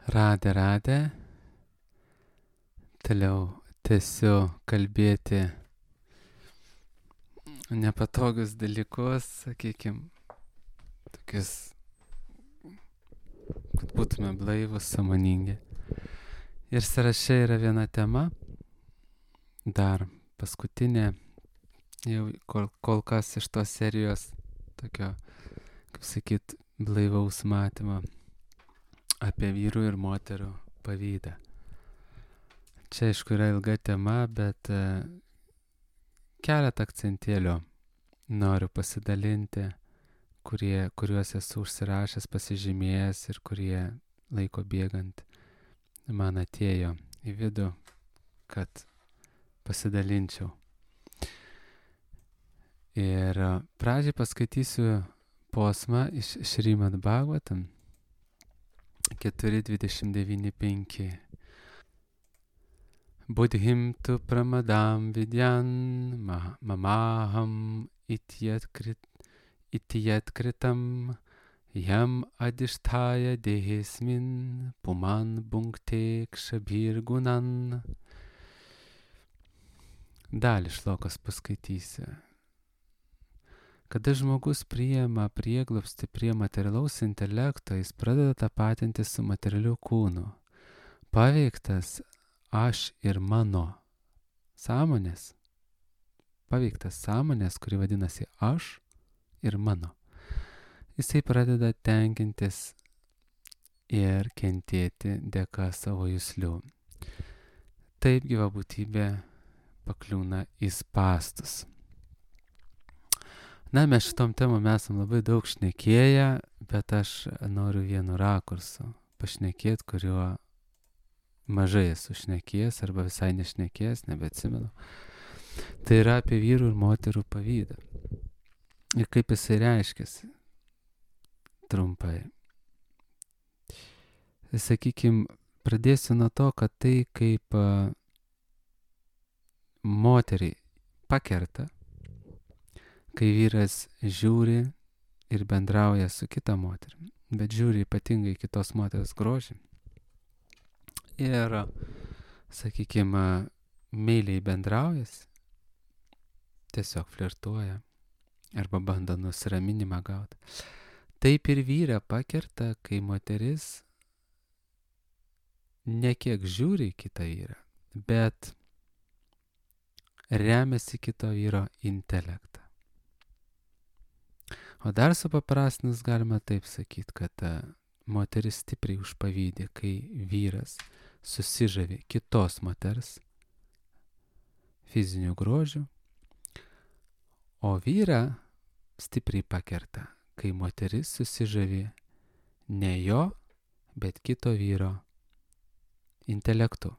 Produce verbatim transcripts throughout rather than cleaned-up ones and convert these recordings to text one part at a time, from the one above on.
Radę, radę. Toliau tęsiu kalbėti nepatogius dalykus, sakykime, tokius, kad būtume blaivus, sąmoningi. Ir sąraše yra viena tema, dar paskutinė, jau kol, kol kas iš tos serijos tokio, kaip sakyt, blaivaus matymo apie vyrų ir moterų pavydą. Čia, aišku, yra ilga tema, bet uh, keletą akcentėlių noriu pasidalinti, kurie, kuriuos esu užsirašęs, pasižymėjęs ir kurie laiko bėgant man atėjo į vidų, kad pasidalinčiau. Ir uh, pradžiai paskaitysiu posmą iš Šrimad Bhagavatam keturi dvidešimt devyni penki. Buddhim tu pramadam vidyan mamaham ityatkritam yam adishtaya dehesmin puman bhunkte kshabhir gunan. Dalį šlokas paskaitysiu. Kada žmogus priima prieglobstį prie materialaus intelekto, jis pradeda tapatinti su materialiu kūnu. Paveiktas aš ir mano sąmonės, paveiktas sąmonės, kuri vadinasi aš ir mano, jisai pradeda tenkintis ir kentėti dėka savo juslių. Taip gyva būtybė pakliūna į spąstus. Na, mes šitom temom esam labai daug šnekėję, bet aš noriu vienu rakursu pašnekėti, kuriuo mažai esu šnekėjęs arba visai nešnekėjęs, nebeatsimenu. Tai yra apie vyrų ir moterų pavydą. Ir kaip jisai reiškiasi. Trumpai. Sakykim, pradėsiu nuo to, kad tai kaip uh, moteriai pakerta, kai vyras žiūri ir bendrauja su kita moterimi, bet žiūri ypatingai kitos moters grožį. Ir, sakykime, meiliai bendraujas, tiesiog flirtuoja arba bando nusiraminimą gauti. Taip ir vyrą pakerta, kai moteris ne kiek žiūri kitą vyrą, bet remiasi kito vyro intelektą. O dar supaprastinus galima taip sakyti, kad uh, moteris stipriai užpavydė, kai vyras susižavi kitos moters fizinių grožių, o vyrą stipriai pakerta, kai moteris susižavi ne jo, bet kito vyro intelektu.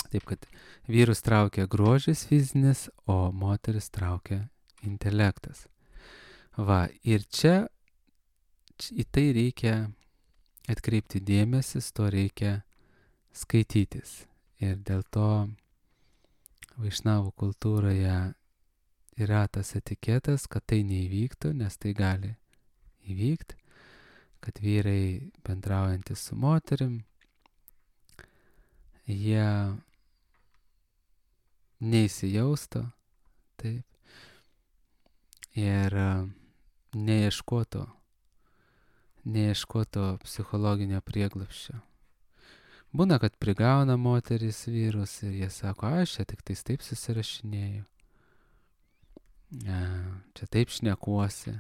Taip, kad vyrus traukia grožis fizinis, o moteris traukia intelektas. Va, ir čia į tai reikia atkreipti dėmesį, to reikia skaitytis. Ir dėl to vaišnavų kultūroje yra tas etiketas, kad tai neįvyktų, nes tai gali įvykti, kad vyrai bendraujantys su moterim, jie neįsijaustų, taip, ir neieškoto, neieškoto psichologinio prieglobsčio. Būna, kad prigauna moteris vyrus ir jie sako, aš čia tik tais taip susirašinėju, čia taip šnekuosi.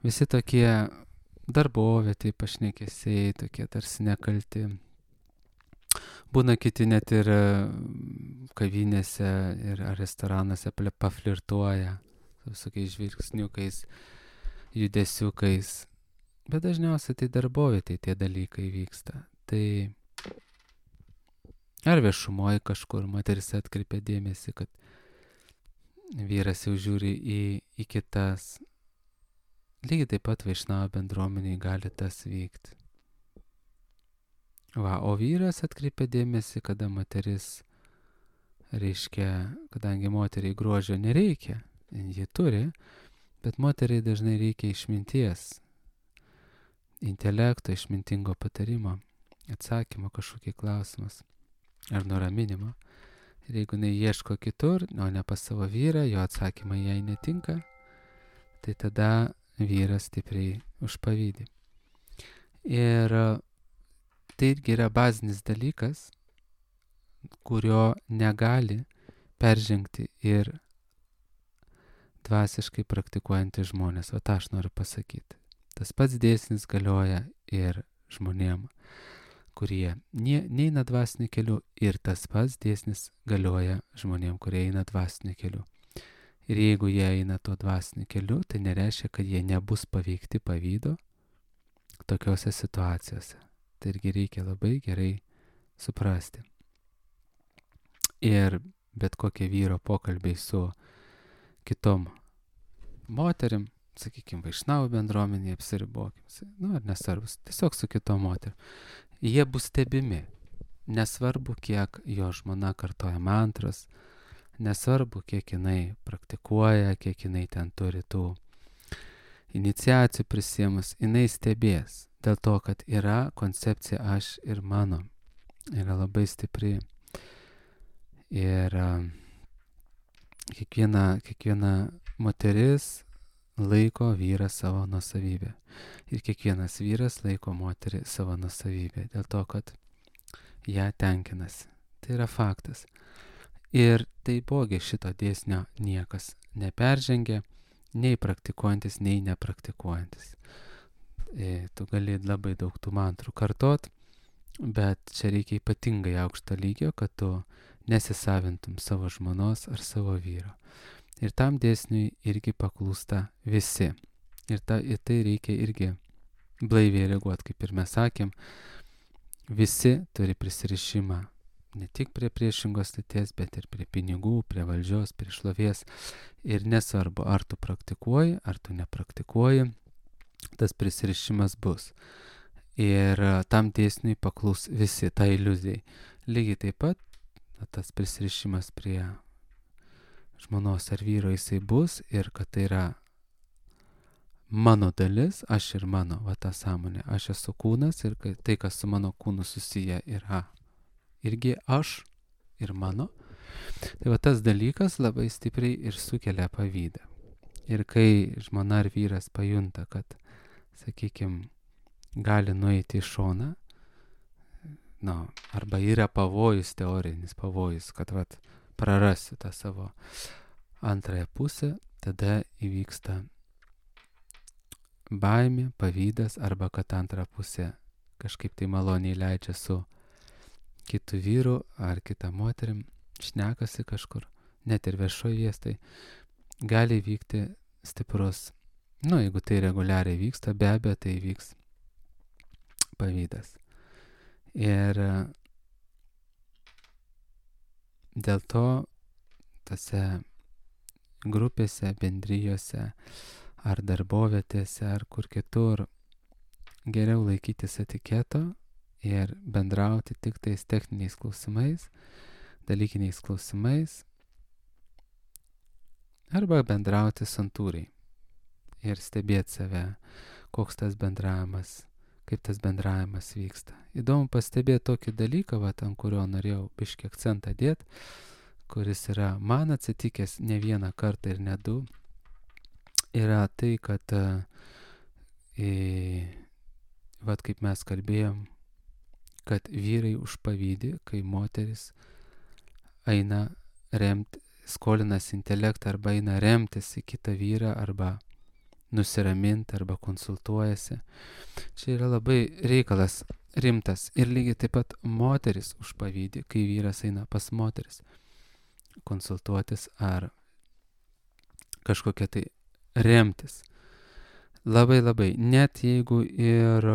Visi tokie darbovietėj pašnekesiai, tokie tarsi nekalti. Būna kiti net ir kavinėse ir restoranuose paflirtuoja su visokiais žvilgsniukais, judesiukais. Bet dažniausiai tai darbovietėj tie dalykai vyksta. Tai ar viešumoje kažkur moteris atkreipia dėmesį, kad vyras jau žiūri į, į kitas. Lygiai taip pat vaišnavo bendruomeniai gali tas vykti. Va, o vyras atkreipia dėmesį, kada moteris, reiškia, kadangi moteriai grožio nereikia, ji turi, bet moteriai dažnai reikia išminties, intelekto, išmintingo patarimo. atsakymo kažkokį klausimas ar nuraminimo. Ir jeigu jinai ieško kitur, o ne pas savo vyrą, jo atsakymai jai netinka, tai tada vyras stipriai užpavydė. Ir tai irgi yra bazinis dalykas, kurio negali peržengti ir dvasiškai praktikuojantys žmonės. O tą aš noriu pasakyti. Tas pats dėsnis galioja ir žmonėm, kurie ne, neina dvasiniu keliu, ir tas pats dėsnis galioja žmonėm, kurie eina dvasiniu keliu. Ir jeigu jie eina tuo dvasiniu keliu, tai nereiškia, kad jie nebus paveikti pavydo tokiose situacijose. Tai irgi reikia labai gerai suprasti. Ir bet kokie vyro pokalbiai su kitom moterim, sakykime, vaišnavų bendruomenėje, apsiribokim, nu ar nesvarbus, tiesiog su kitom moterim, jie bus stebimi. Nesvarbu, kiek jo žmona kartoja mantras, nesvarbu, kiek jinai praktikuoja, kiek jinai ten turi tų iniciacijų prisėmus, jinai stebės. Dėl to, kad yra koncepcija aš ir mano. Yra labai stipri. Ir uh, kiekviena, kiekviena moteris laiko vyrą savo nuosavybę. Ir kiekvienas vyras laiko moterį savo nuosavybę. Dėl to, kad ją tenkinasi. Tai yra faktas. Ir taipogi šito dėsnio niekas neperžengia, nei praktikuojantis, nei nepraktikuojantis. E, tu gali labai daug tų mantrų kartot, bet čia reikia ypatingai aukšto lygio, kad tu nesisavintum savo žmonos ar savo vyro. Ir tam dėsniui irgi paklūsta visi. Ir ta, į tai reikia irgi blaiviai reaguoti, kaip ir mes sakėm. Visi turi prisirišimą ne tik prie priešingos lyties, bet ir prie pinigų, prie valdžios, prie šlovės. Ir nesvarbu, ar tu praktikuoji, ar tu nepraktikuoji, tas prisirišimas bus. Ir tam dėsniui paklūs visi, tai iliuzijai. Lygiai taip pat tas prisirišimas prie žmonos ar vyro jisai bus, ir kad tai yra mano dalis, aš ir mano, va ta sąmonė. Aš esu kūnas, ir tai, kas su mano kūnu susiję, yra irgi aš ir mano. Tai va tas dalykas labai stipriai ir sukelia pavydą. Ir kai žmona ar vyras pajunta, kad, sakykime, gali nueiti į šoną, na, arba yra pavojus, teorinis pavojus, kad vat, prarasiu tą savo antrąją pusę, tada įvyksta baimė, pavydas, arba kad antrą pusę kažkaip tai maloniai leidžia su kitu vyru ar kita moterim, šnekasi kažkur, net ir viešoje vietoje, gali vykti stiprus, nu, jeigu tai reguliariai vyksta, be abejo, tai vyks pavydas. Ir dėl to tose grupėse, bendrijose, ar darbovietėse, ar kur kitur geriau laikytis etiketo ir bendrauti tik tais techniniais klausimais, dalykiniais klausimais, arba bendrauti santūriai ir stebėti save, koks tas bendravimas, kaip tas bendravimas vyksta. Įdomu pastebėti tokį dalyką, va, ant kurio norėjau biškį akcentą dėti, kuris yra man atsitikęs ne vieną kartą ir ne du, yra tai, kad e, va, kaip mes kalbėjom, kad vyrai užpavydį, kai moteris eina remti, skolinas intelektą arba eina remtis į kitą vyrą, arba nusiraminti, arba konsultuojasi. Čia yra labai reikalas rimtas. Ir lygiai taip pat moteris užpavydį, kai vyras eina pas moteris konsultuotis ar kažkokia tai remtis. Labai labai, net jeigu ir,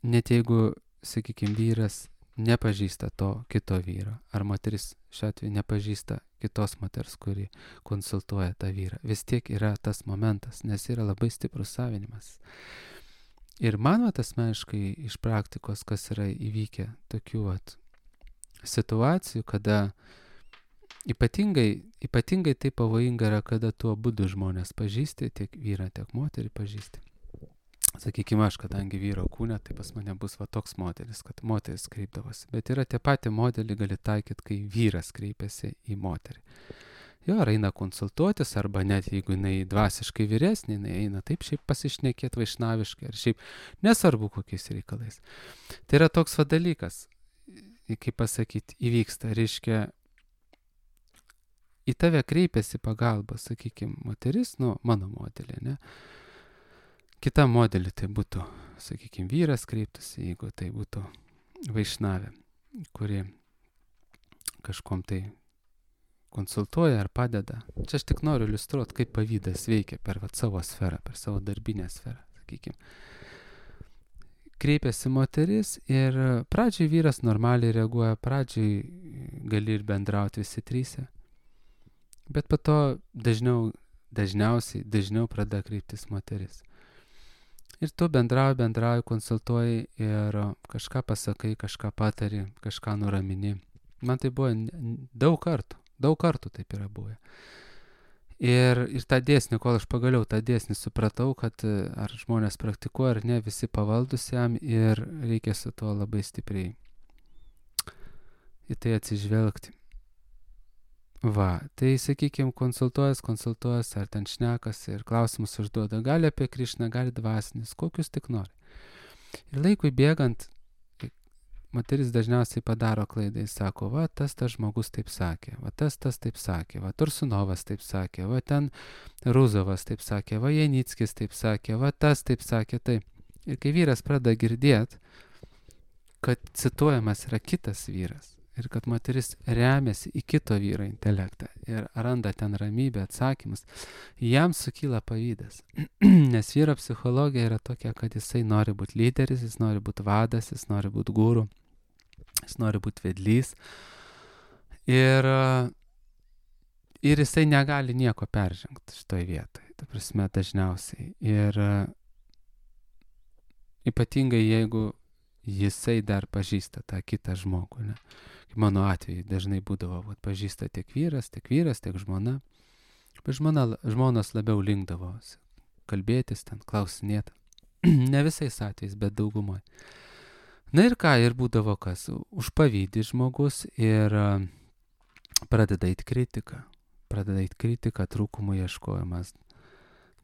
net jeigu, sakykime, vyras nepažįsta to kito vyro, ar moteris šiuo atveju nepažįsta kitos moters, kuri konsultuoja tą vyrą, vis tiek yra tas momentas, nes yra labai stiprus savinimas. Ir man vat asmeniškai iš praktikos, kas yra įvykę tokių vat situacijų, kada ypatingai, ypatingai tai pavojinga yra, kada tu abudu žmonės pažįsti, tiek vyrą, tiek moterį pažįsti. sakykime, aš, kadangi vyro kūne, tai pas mane bus va toks modelis, kad moteris kreipdavosi. Bet yra tie patį modelį gali taikyti, kai vyras kreipiasi į moterį. Jo, ar eina konsultuotis, arba net jeigu jinai dvasiškai vyresnė, jinai eina taip šiaip pasišnekėti vaišnaviškai, ar šiaip nesvarbu kokiais reikalais. Tai yra toks va dalykas, kaip pasakyti, įvyksta, reiškia, į tave kreipiasi pagalba, sakykime, moteris, nu, mano modelė, ne? Kita modelį tai būtų, sakykime, vyras kreiptųsi, jeigu tai būtų vaišnavė, kuri kažkom tai konsultuoja ar padeda. Čia aš tik noriu iliustruoti, kaip pavydas veikia per vat, savo sferą, per savo darbinę sferą, sakykime. Kreipiasi moteris ir pradžiai vyras normaliai reaguoja, pradžiai gali ir bendrauti visi tryse, bet po to dažniau, dažniausiai, dažniau pradeda kreiptis moteris. Ir tu bendrauji, bendrauji, konsultuoji ir kažką pasakai, kažką patari, kažką nuramini. Man tai buvo daug kartų, daug kartų taip yra buvę. Ir, ir tą dėsnį, kol aš pagaliau tą dėsnį supratau, kad ar žmonės praktikuoja ar ne, visi pavaldus jam ir reikia su tuo labai stipriai į tai atsižvelgti. Va, tai sakykime, konsultuojas, konsultuojas, ar ten šnekas ir klausimus užduoda, gali apie Krišną, gali dvasinis, kokius tik nori. Ir laikui bėgant, moteris dažniausiai padaro klaidą, jis sako, va, tas tas žmogus taip sakė, va, tas tas taip sakė, va, Tursunovas taip sakė, va, ten Ruzovas taip sakė, va, Janickis taip sakė, va, tas taip sakė, taip. Ir kai vyras pradeda girdėti, kad cituojamas yra kitas vyras, ir kad moteris remiasi į kito vyro intelektą ir randa ten ramybę, atsakymus, jam sukyla pavydas. Nes vyro psichologija yra tokia, kad jisai nori būti lyderis, jis nori būti vadas, jis nori būti guru, jis nori būti vedlys. Ir, ir jisai negali nieko peržengti šitoj vietoj, ta prasme dažniausiai. Ir ypatingai jeigu jisai dar pažįsta tą kitą žmogų, ne? Mano atveju dažnai būdavo, vat, pažįsta tiek vyras, tiek vyras, tiek žmona. Bet žmona, žmonos labiau linkdavo kalbėtis, ten klausinėti. Ne visais atvejais, bet daugumoj. Na ir ką, ir būdavo kas, užpavydį žmogus ir uh, pradeda eit kritiką. Pradeda eit kritiką, trūkumų ieškojimas,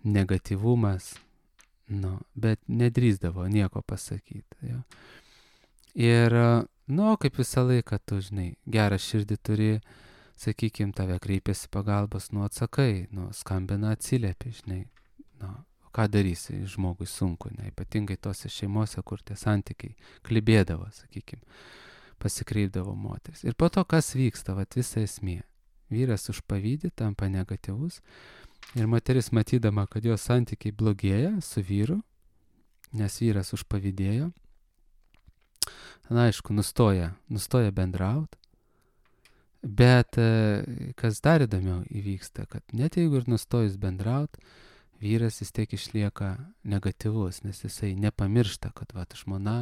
negatyvumas, nu, bet nedrįsdavo nieko pasakyti. Jo. Ir uh, nu, kaip visą laiką, tu, žinai, gerą širdį turi, sakykime, tave kreipiasi pagalbos, nu, atsakai, nu, skambina, atsiliepi, žinai, nu, ką darysi, žmogui sunku, ne, ypatingai tose šeimose, kur tie santykiai klibėdavo, sakykime, pasikreipdavo moteris. Ir po to, kas vyksta, vat visa esmė. Vyras užpavydį, tampa negatyvus, ir moteris matydama, kad jos santykiai blogėja su vyru, nes vyras užpavydėjo, na, aišku, nustoja, nustoja bendrauti, bet kas dar įdomiau įvyksta, kad net jeigu ir nustojus bendrauti, vyras vis tiek išlieka negatyvus, nes jisai nepamiršta, kad va, žmona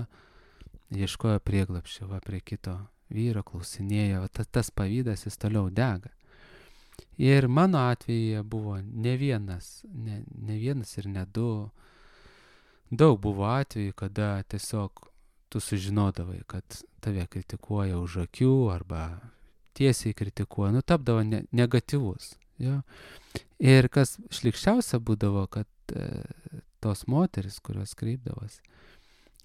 ieškojo prieglapščio, va, prie kito vyro, klausinėjo, va, tas, tas pavydas jis toliau dega. Ir mano atveju buvo ne vienas, ne, ne vienas ir ne du, daug buvo atvejų, kada tiesiog tu sužinodavai, kad tave kritikuoja už akių arba tiesiai kritikuoja, nu tapdavo ne, negatyvus. Jo. Ir kas šlikščiausia būdavo, kad e, tos moteris, kurios kreipdavos,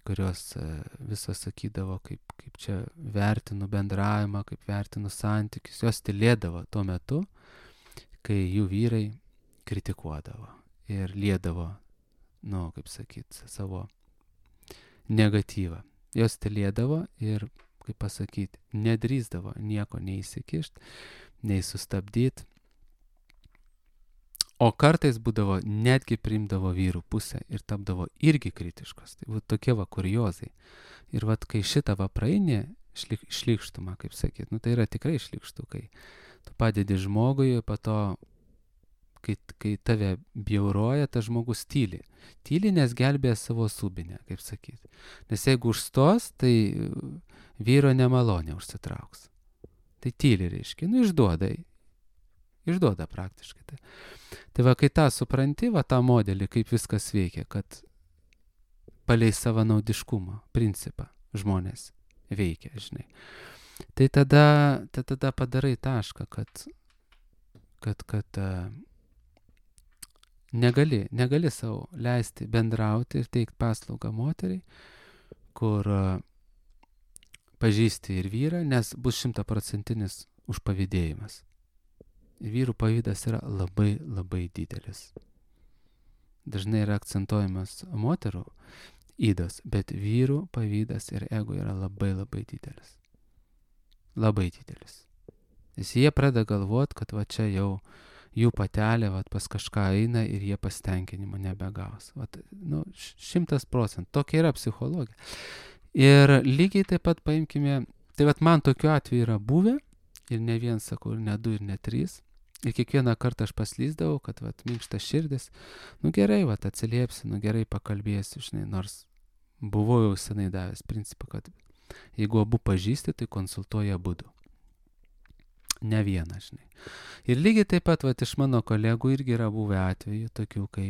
kurios e, visos sakydavo, kaip, kaip čia vertinu bendravimą, kaip vertinu santykius, jos tylėdavo tuo metu, kai jų vyrai kritikuodavo ir liedavo, nu, kaip sakyti, savo negatyvą. Jos tylėdavo ir, kaip pasakyti, nedrįsdavo nieko neįsikišti, nei sustabdyti. O kartais būdavo, netgi priimdavo vyrų pusę ir tapdavo irgi kritiškos. Tai būtų tokie va kuriozai. Ir va, kai šitą va praeini, šlik, šlikštumą, kaip sakyt, nu tai yra tikrai šlikštų, kai tu padedi žmogui, po to, kai, kai tave bjauroja, tas žmogus tyli. Tyli, nes gelbėja savo subinę, kaip sakyti. Nes jeigu užstos, tai vyro nemalonė užsitrauks. Tai tyli, reiškia, nu išduoda, išduoda praktiškai. Tai, tai va, kai tą supranti, va tą modelį, kaip viskas veikia, kad palei savanaudiškumo principą žmonės veikia, žinai. Tai tada, tai tada padarai tašką, kad, kad, kad uh, negali, negali savo leisti bendrauti ir teikti paslaugą moteriai, kur uh, pažįsti ir vyrą, nes bus šimtaprocentinis užpavydėjimas. Ir vyrų pavydas yra labai, labai didelis. Dažnai yra akcentuojamas moterų ydos, bet vyrų pavydas ir ego yra labai, labai didelis. Labai didelis. Nes jie pradeda galvoti, kad va čia jau jų patelė va, pas kažką eina ir jie pasitenkinimo nebegaus. Va, nu, šimtas procentų. Tokia yra psichologija. Ir lygiai taip pat paimkime, tai va man tokiu atveju yra buvę, ir ne vien sakau, ir ne du, ir ne trys. Ir kiekvieną kartą aš paslyzdavau, kad vat, minkštas širdis, nu gerai, vat, atsiliepsi, nu gerai pakalbėsiu, žinai, nors buvau jau senai davęs principą, kad jeigu abu pažįsti, tai konsultuoja abudu. Ne vieną, žinai. Ir lygiai taip pat, vat, iš mano kolegų irgi yra buvę atvejų tokių, kai,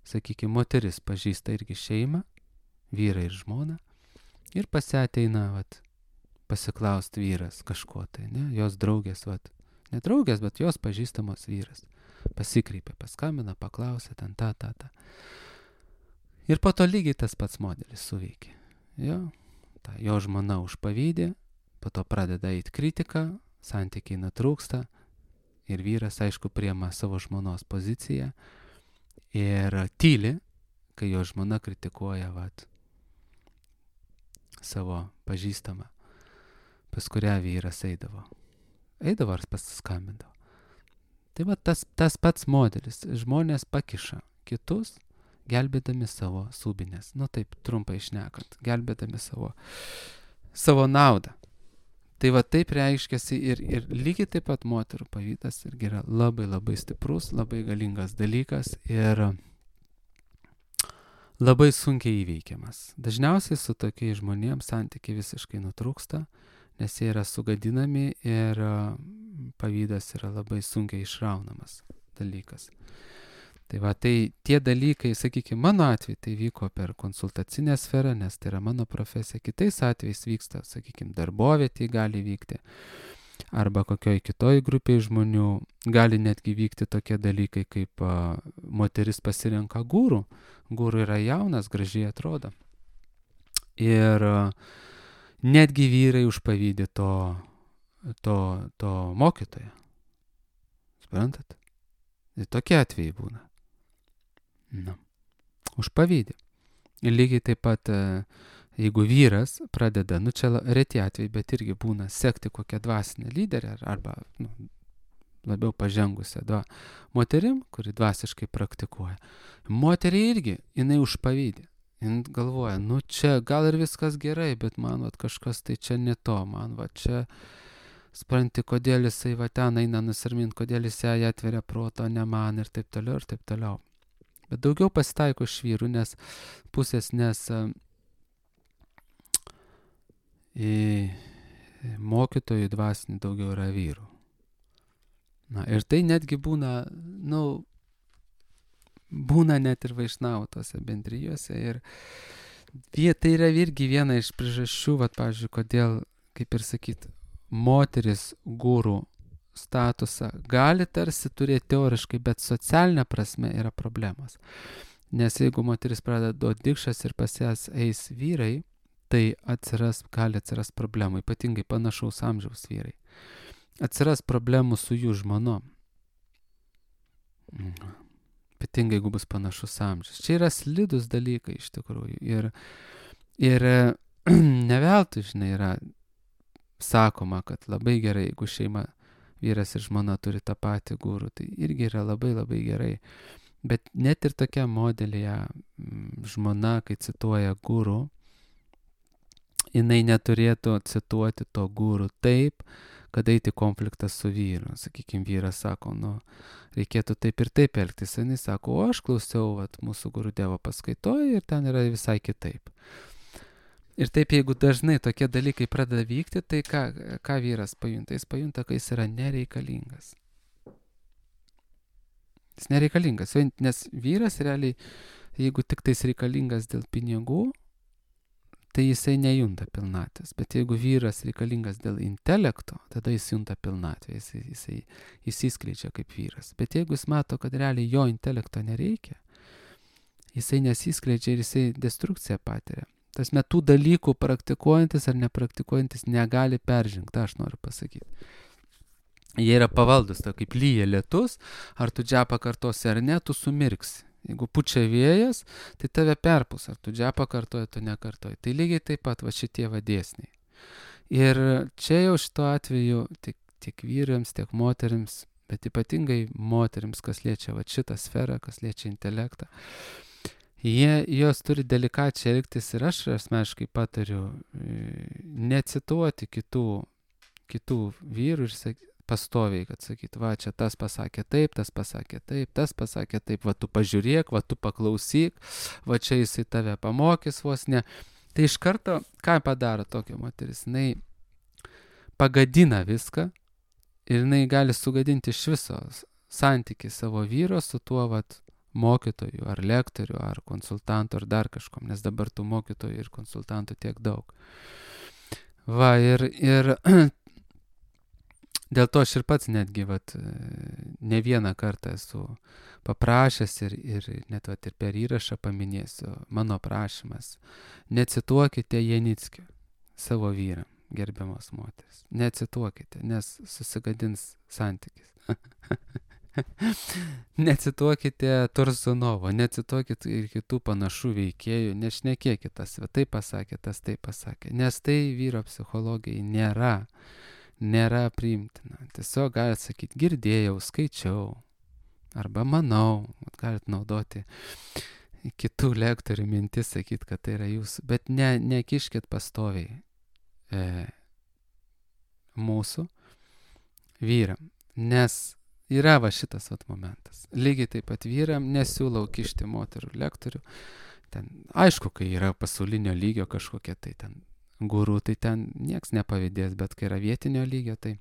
sakykime, moteris pažįsta irgi šeimą, vyrą ir žmoną, ir pasiateina, vat, pasiklausti vyras kažko tai, ne, jos draugės, vat, ne draugės, bet jos pažįstamos vyras. Pasikreipė, paskambina, paklausė, ten ta, ta, ta. Ir po to lygiai tas pats modelis suveikė. Jo, ta, jo žmona užpavydė, po to pradeda eiti kritika, santykiai nutrūksta ir vyras, aišku, priema savo žmonos poziciją ir tyli, kai jo žmona kritikuoja, vat, savo pažįstamą, pas kurią vyras eidavo. Eidavo ar pasiskambindavo. Tai va tas, tas pats modelis. Žmonės pakiša kitus, gelbėdami savo subinės. Nu taip, trumpai šnekant, gelbėdami savo, savo naudą. Tai va taip reiškiasi ir, ir lygiai taip pat moterų pavydas irgi yra labai labai stiprus, labai galingas dalykas ir labai sunkiai įveikiamas. Dažniausiai su tokiais žmonėms santykiai visiškai nutrūksta, nes jie yra sugadinami ir pavydas yra labai sunkiai išraunamas dalykas. Tai va, tai tie dalykai, sakykime, mano atveju tai vyko per konsultacinę sferą, nes tai yra mano profesija. Kitais atvejais vyksta, sakykime, darbovietėje gali vykti, arba kokioj kitoj grupėje žmonių gali netgi vykti tokie dalykai, kaip a, moteris pasirenka gūrų. Gūrų yra jaunas, gražiai atrodo. Ir a, netgi vyrai užpavydė to, to, to mokytojo. Suprantat? Ir tokie atvejai būna. Nu, užpavydė. Ir lygiai taip pat, jeigu vyras pradeda, nu čia reti atvejai, bet irgi būna sekti kokią dvasinę lyderę arba nu, labiau pažengusią dva, moterim, kuri dvasiškai praktikuoja. Moteriai irgi, jinai užpavydė. Jis galvoja, nu čia gal ir viskas gerai, bet man vat, kažkas tai čia ne to, man va čia, spranti, kodėl jisai va ten eina nusirmint, kodėl jisai ją atveria proto, ne man ir taip toliau ir taip toliau. Bet daugiau pasitaiko iš vyrų, nes pusės, nes į mokytojų dvasinį daugiau yra vyrų. Na, ir tai netgi būna, nu, būna net ir vaišnavų tose bendrijose ir tai yra irgi viena iš priežasčių, vat, pavyzdžiui, kodėl, kaip ir sakyt, moteris gūrų statusą gali tarsi turėti teoriškai, bet socialinė prasme yra problemas. Nes jeigu moteris pradeda duoti dikšas ir pas jas eis vyrai, tai atsiras, gali atsiras problemų, ypatingai panašaus amžiaus vyrai. Atsiras problemų su jų žmonom. Ypatingai, jeigu bus panašus amžius. Čia yra slidus dalykai iš tikrųjų. Ir, ir ne veltui, žinai, yra sakoma, kad labai gerai, jeigu šeima, vyras ir žmona turi tą patį gūrų, tai irgi yra labai labai gerai. Bet net ir tokia modelėje žmona, kai cituoja gūrų, jinai neturėtų cituoti to gūrų taip, kad eiti konfliktą su vyru. Sakykime, vyras sako, nu, reikėtų taip ir taip elgtis. Jinai sako, o aš klausiau vat, mūsų gurų Dievo paskaitoje ir ten yra visai kitaip. Ir taip, jeigu dažnai tokie dalykai pradeda vykti, tai ką, ką vyras pajunta? Jis pajunta, kad jis yra nereikalingas. Jis nereikalingas, nes vyras realiai, jeigu tik tais reikalingas dėl pinigų, tai jisai nejunta pilnatvės. Bet jeigu vyras reikalingas dėl intelekto, tada jis junta pilnatvę, jisai, jisai įsiskleidžia kaip vyras. Bet jeigu jis mato, kad realiai jo intelekto nereikia, jisai nesiskleidžia ir jisai destrukciją patiria. Tas metų dalykų praktikuojantis ar nepraktikuojantis negali peržengti, aš noriu pasakyti. Jie yra pavaldus, tai kaip lyja lietus, ar tu džepą kartosi ar ne, tu sumirksi. Jeigu pučia vėjas, tai tave perpus, ar tu džepą kartoji, tu nekartoji. Tai lygiai taip pat va šitie vadėsniai. Ir čia jau šito atveju tiek, tiek vyrams, tiek moterims, bet ypatingai moterims, kas liečia va šitą sferą, kas liečia intelektą, jie, jos turi delikačiai elgtis ir aš asmeniškai patariu necituoti kitų, kitų vyrų ir sakyti, pastoviai, kad sakyt, va, čia tas pasakė taip, tas pasakė taip, tas pasakė taip, va, tu pažiūrėk, va, tu paklausyk, va, čia jisai tave pamokys vos ne. Tai iš karto, ką padaro tokia moteris? Jinai pagadina viską ir jinai gali sugadinti iš viso santykį savo vyro su tuo, va, mokytoju, ar lektoriu, ar konsultantu, ar dar kažkom, nes dabar tų mokytojų ir konsultantų tiek daug. Va, ir, ir dėl to aš ir pats netgi vat, ne vieną kartą esu paprašęs ir, ir net vat, ir per įrašą paminėsiu mano prašymas. Necituokite Janickio savo vyram, gerbiamos moteris. Necituokite, nes susigadins santykis. Necituokite Tursunovo, necituokite ir kitų panašių veikėjų, nešnekėkite tas, tai pasakė, tas tai pasakė, nes tai vyro psichologijai nėra. nėra priimtina. Tiesiog galite sakyti, girdėjau, skaičiau, arba manau, galite naudoti kitų lektorių mintis, sakyti, kad tai yra jūsų, bet ne, nekiškit pastoviai e, mūsų vyram, nes yra va šitas vat momentas. Lygiai taip pat vyram nesiūlau kišti moterų lektorių, ten, aišku, kai yra pasaulinio lygio kažkokie tai ten gurų, tai ten nieks nepavydės, bet kai yra vietinio lygio, tai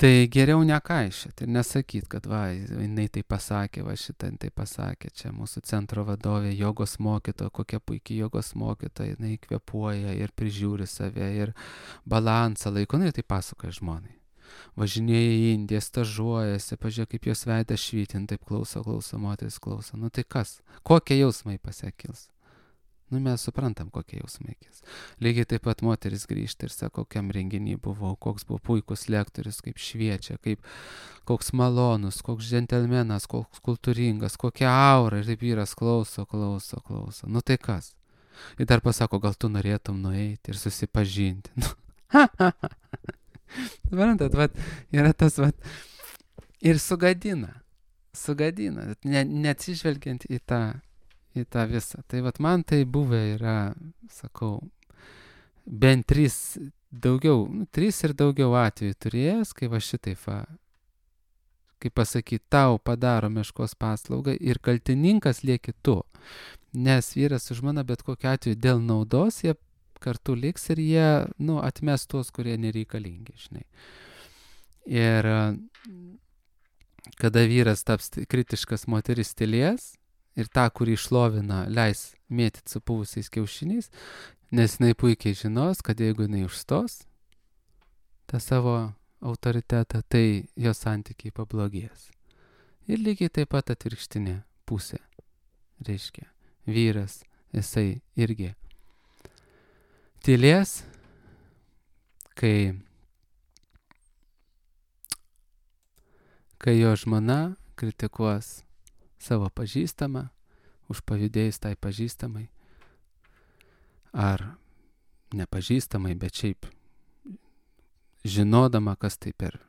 tai geriau nekaišėt ir nesakyt, kad va, jinai tai pasakė, va šitą tai pasakė, čia mūsų centro vadovė, jogos mokytoja, kokia puikiai jogos mokytoja, jinai kvėpuoja ir prižiūri save ir balansą laiko, jinai tai pasakoja žmonai. Važinėja į Indiją, stažuojasi, pažiūrėk, kaip jos veidas švytin, taip klauso, klauso, moteris klauso. Nu tai kas? Kokie jausmai pasiekils? Nu, mes suprantam, kokie jausmai kils. Lygiai taip pat moteris grįžta ir sako, kokiam renginį buvau, koks buvo puikus lektorius, kaip šviečia, kaip, koks malonus, koks džentelmenas, koks kultūringas, kokia aura. Ir taip vyras klauso, klauso, klauso. Nu tai kas? Ir dar pasako, gal tu norėtum nueiti ir susipažinti. Nu, ha, ha, ha. Suprantat, vat, yra tas, vat, ir sugadina, sugadina, ne, neatsižvelgiant į tą, į tą visą. Tai vat man tai buvę yra, sakau, bent trys, daugiau, nu, trys ir daugiau atvejų turėjęs, kai va šitai, va, kaip pasakyti, tau padaro meškos paslaugą ir kaltininkas lieki tu. Nes vyras su žmona bet kokiu atveju dėl naudos jie kartu liks ir jie, nu, atmes tuos, kurie nereikalingi, žinai. Ir kada vyras taps kritiškas, moteris tylės ir tą, kurį išlovina, leis mėtyti su puvusiais kiaušiniais, nes jinai puikiai žinos, kad jeigu jinai užstos tą savo autoritetą, tai jos santykiai pablogės. Ir lygiai taip pat atvirkštinė pusė. Reiškia, vyras, jisai irgi tylės, kai, kai jo žmona kritikuos savo pažįstamą, užpavydėjus tai pažįstamai, ar nepažįstamai, bet šiaip žinodama, kas tai per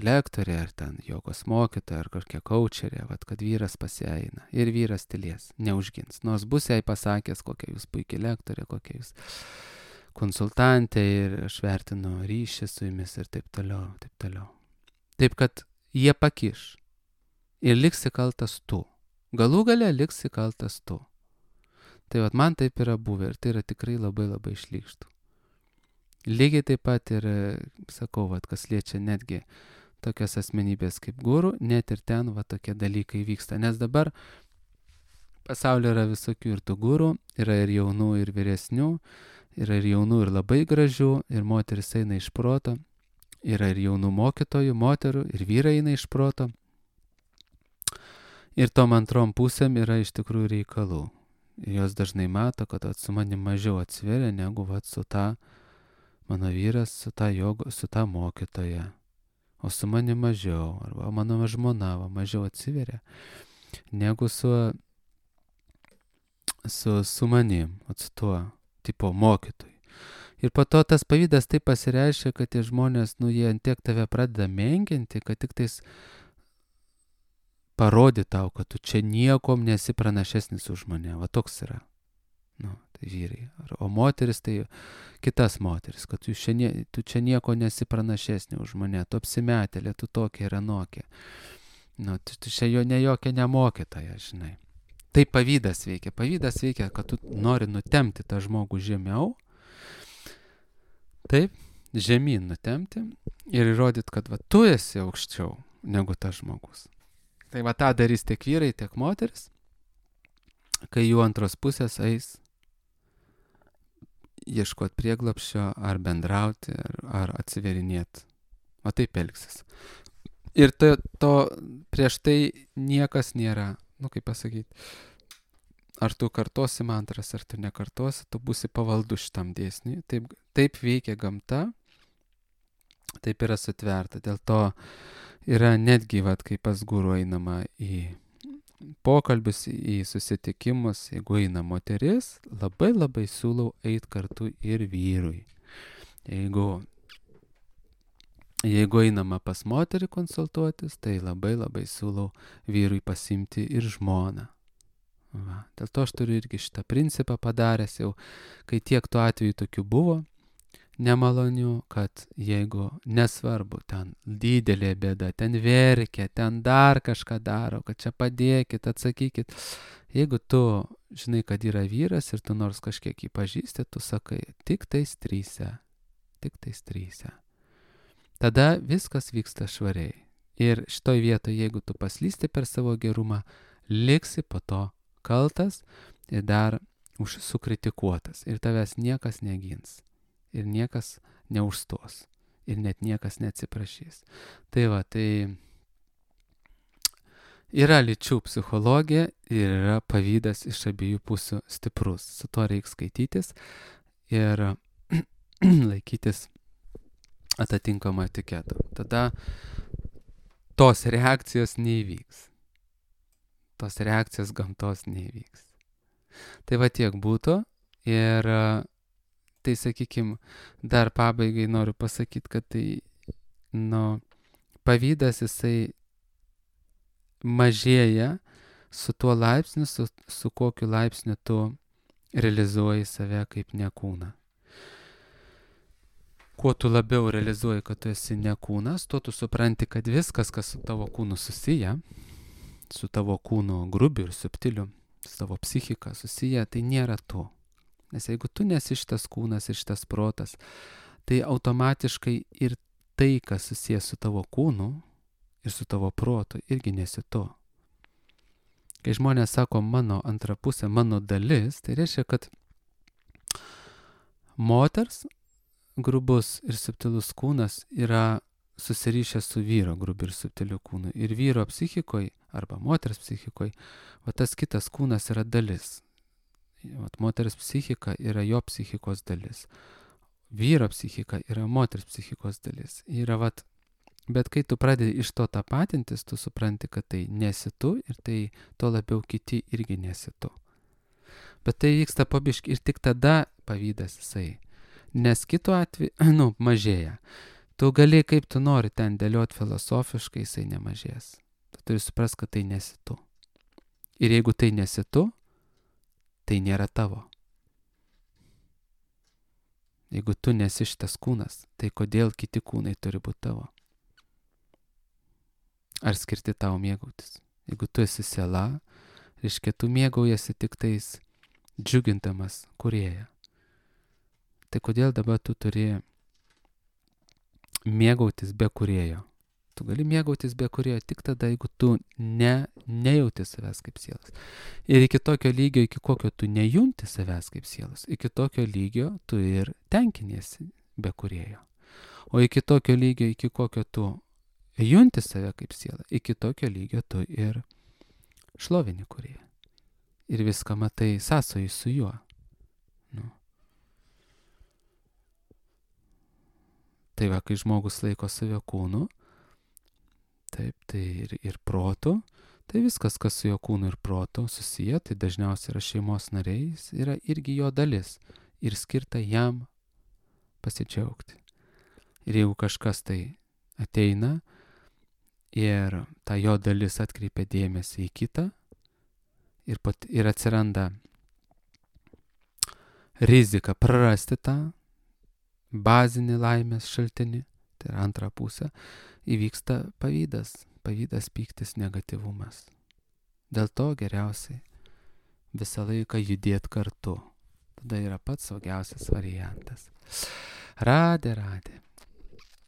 lektorė, ar ten jogos mokytoja, ar kokia kaučerė, vat, kad vyras pasieina. Ir vyras tylės, neužgins. Nors bus jai pasakęs, kokia jūs puikiai lektorė, kokia jūs konsultantė ir aš vertinu ryšį su jumis ir taip toliau, taip toliau. Taip, kad jie pakiš ir liksi kaltas tu. Galų gale liksi kaltas tu. Tai vat, man taip yra buvę ir tai yra tikrai labai labai šlykštu. Lygiai taip pat ir, sakau, vat, kas liečia netgi tokias asmenybės kaip guru, net ir ten va, tokie dalykai vyksta. Nes dabar Pasaulyje yra visokių ir tų gurų, yra ir jaunų, ir vyresnių, yra ir jaunų, ir labai gražių, ir moteris eina iš proto, yra ir jaunų mokytojų, moterų, ir vyrai eina iš proto. Ir tom antrom pusėm yra iš tikrųjų reikalų. Ir jos dažnai mato, kad vat, su manim mažiau atsiveria, negu vat, su ta mano vyras, su ta, jogo, su ta mokytoja. O su manim mažiau, arba mano žmona va, mažiau atsiveria, negu su, su, su manim, vat, su tuo tipo mokytoju. Ir po to tas pavydas taip pasireiškia, kad tie žmonės, nu, jie ant tiek tave pradeda menkinti, kad tik tais parodė tau, kad tu čia niekom nesi pranašesnis už mane. Va toks yra. Nu, tai vyrai. O moteris tai kitas moteris, kad tu čia, nie, tu čia nieko nesi pranašesnė už mane. Tu apsimetėlė, tu tokia ir anokia. Nu, tu, tu čia jo ne jokia nemokytoja, žinai. Tai pavydas veikia. Pavydas veikia, kad tu nori nutemti tą žmogų žemiau. Taip, žemyn nutemti ir įrodyti, kad va, tu esi aukščiau negu tas žmogus. Tai va tą darys tiek vyrai, tiek moteris, kai jų antros pusės eis ieškoti prieglapščio ar bendrauti, ar, ar atsiverinėti. O taip elgsis. Ir to, to prieš tai niekas nėra, nu kaip pasakyti, ar tu kartosi mantras, ar tu nekartosi, tu būsi pavaldus šitam dėsniui. Taip, taip veikia gamta, taip yra sutverta. Dėl to yra netgi, vat, kai pas guru einama į pokalbius, į susitikimus, jeigu eina moteris, labai labai siūlau eiti kartu ir vyrui. Jeigu, jeigu einama pas moterį konsultuotis, tai labai labai siūlau vyrui pasimti ir žmoną. Va. Dėl to aš turiu irgi šitą principą padaręs jau, kai tiek tų atvejų tokių buvo, nemalonių, kad jeigu nesvarbu, ten didelė bėda, ten verkia, ten dar kažką daro, kad čia padėkit, atsakykit. Jeigu tu žinai, kad yra vyras ir tu nors kažkiek jį pažįsti, tu sakai, tik tais tryse, tik tais tryse. Tada viskas vyksta švariai. Ir šitoj vietoje, jeigu tu paslysti per savo gerumą, liksi po to kaltas ir dar užsukritikuotas. Ir tavęs niekas negins. Ir niekas neužstos. Ir net niekas neatsiprašys. Tai va, tai yra lyčių psichologija ir yra pavydas iš abiejų pusių stiprus. Su to reikia skaitytis ir laikytis atitinkamą etiketą. Tada tos reakcijos neįvyks. Tos reakcijos gamtos neįvyks. Tai va tiek būtų ir tai, sakykime, dar pabaigai noriu pasakyti, kad tai, nu, pavydas jisai mažėja su tuo laipsniu, su, su kokiu laipsniu tu realizuoji save kaip nekūną. Kuo tu labiau realizuoji, kad tu esi nekūnas, tuo tu supranti, kad viskas, kas su tavo kūnu susiję, su tavo kūnu grubiu ir subtiliu, su tavo psichika susiję, tai nėra tu. Nes jeigu tu nesi šitas kūnas ir šitas protas, tai automatiškai ir tai, kas susijęs su tavo kūnu ir su tavo protu, irgi nesi tu. Kai žmonės sako mano antra pusė, mano dalis, tai reiškia, kad moters grubus ir subtilus kūnas yra susirišęs su vyro grubiu ir subtiliu kūnu. Ir vyro psichikoje arba moters psichikoje, o tas kitas kūnas yra dalis. Vat, moters psichika yra jo psichikos dalis. Vyro psichika yra moters psichikos dalis. Yra, vat, bet kai tu pradedi iš to tapatintis, tu supranti, kad tai nesi tu ir tai to labiau kiti irgi nesi tu. Bet tai vyksta pabiški ir tik tada pavydas jisai. Nes kitu atveju, nu, mažėja. Tu gali, kaip tu nori ten dėlioti filosofiškai, jisai nemažės. Tu turi suprast, kad tai nesi tu. Ir jeigu tai nesi tu, tai nėra tavo. Jeigu tu nesi šitas kūnas, tai kodėl kiti kūnai turi būti tavo? Ar skirti tau mėgautis? Jeigu tu esi siela, reiškia, tu mėgaujasi tik tais džiugintamas kūrėją. Tai kodėl dabar tu turi mėgautis be kūrėjo? Tu gali mėgautis be kurėjo tik tada, jeigu tu ne, nejauti savęs kaip sielas. Ir iki tokio lygio, iki kokio tu nejunti savęs kaip sielas, iki tokio lygio tu ir tenkiniesi be kurėjo. O iki tokio lygio, iki kokio tu junti save kaip sielą, iki tokio lygio tu ir šlovini kurėją. Ir viską matai sąsojai su juo. Nu. Tai va, kai žmogus laiko save kūnu, taip, tai ir, ir protu, tai viskas, kas su jo kūnu ir protu susiję, tai dažniausiai yra šeimos nariai, yra irgi jo dalis ir skirta jam pasidžiaugti. Ir jeigu kažkas tai ateina ir ta jo dalis atkreipia dėmesį į kitą ir, pat, ir atsiranda rizika prarasti tą bazinį laimės šaltinį, tai yra antrą pusę, įvyksta pavydas, pavydas, pyktis, negatyvumas. Dėl to geriausiai visą laiką judėti kartu. Tada yra pats saugiausias variantas. Radė, radė.